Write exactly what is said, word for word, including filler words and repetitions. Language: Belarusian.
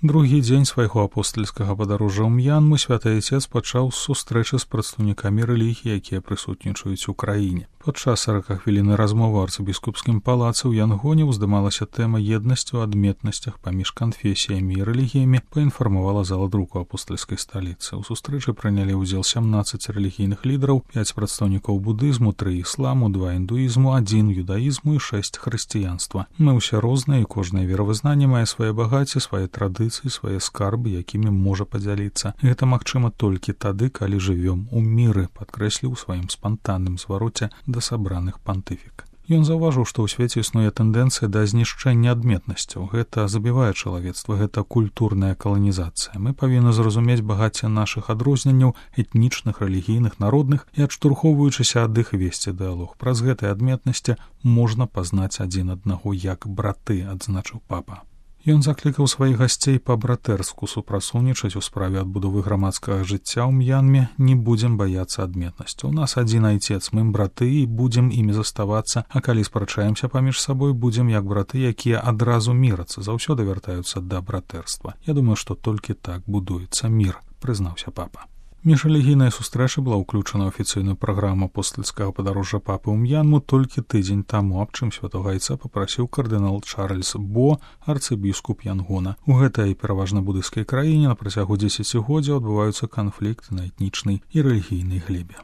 Другі дзень свайго апостальскага падарожжа ў М'янму святы Айцец пачаў з сустрэчы з прадстаўнікамі рэлігіі, якія прысутнічаюць у краіне. Падчас саракахвіліннай размовы ў арцыбіскупскім палацы ў Янгоне ўздымалася тэма еднасці ў адметнасцях паміж канфесіямі і рэлігіямі, паінфармавала зала друку апостальскай сталіцы. У сустрэчы прынялі ўдзел сямнаццаць рэлігійных лідараў, пяць прадстаўнікоў будызму, тры ісламу, два індуізму, адзін юдаізму і шэсць хрысціянства. Мы ўсе розныя, і кожнае веравызнанне мае свае багацці, свае традыцыі, свае скарбы, якімі можа падзяліцца. Гэта магчыма толькі тады, калі жывём у міры, падкрэсліў у сваім спантанным звароце да сабраных пантыфік. Ён заўважыў, што ў свеце існуе тэндэнцыя да знішчэння адметнасцяў. Гэта забівае чалавецтва, гэта культурная каланізацыя. Мы павінны зразумець багацце нашых адрозненняў этнічных, рэлігійных, народных і, адштурхоўваючыся ад іх, весці дыялог. Праз гэтыя адметнасці можна пазнаць адзін аднаго як браты, адзначыў папа. Ён заклікаў сваіх гасцей па-братэрску супрацоўнічаць у справе адбудовы грамадскага жыцця ў М'янме. Не будзем баяцца адметнасці. У нас адзін Айцец, мы браты і будзем імі заставацца, а калі спрачаемся паміж сабой, будзем як браты, якія адразу мірацца, заўсёды вяртаюцца да братэрства. Я думаю, што толькі так будуецца мір, прызнаўся папа. Міжрэлігійная сустрэча была ўключана ў афіцыйную праграму апостальскага падарожжа папы ў М'янму толькі тыдзень таму, аб чым святога Айца папрасіў кардынал Чарльз Бо, арцыбіскуп Янгона. У гэтай пераважна будыйскай краіне на працягу дзесяцігоддзяў адбываюцца канфлікты на этнічнай і рэлігійнай глебе.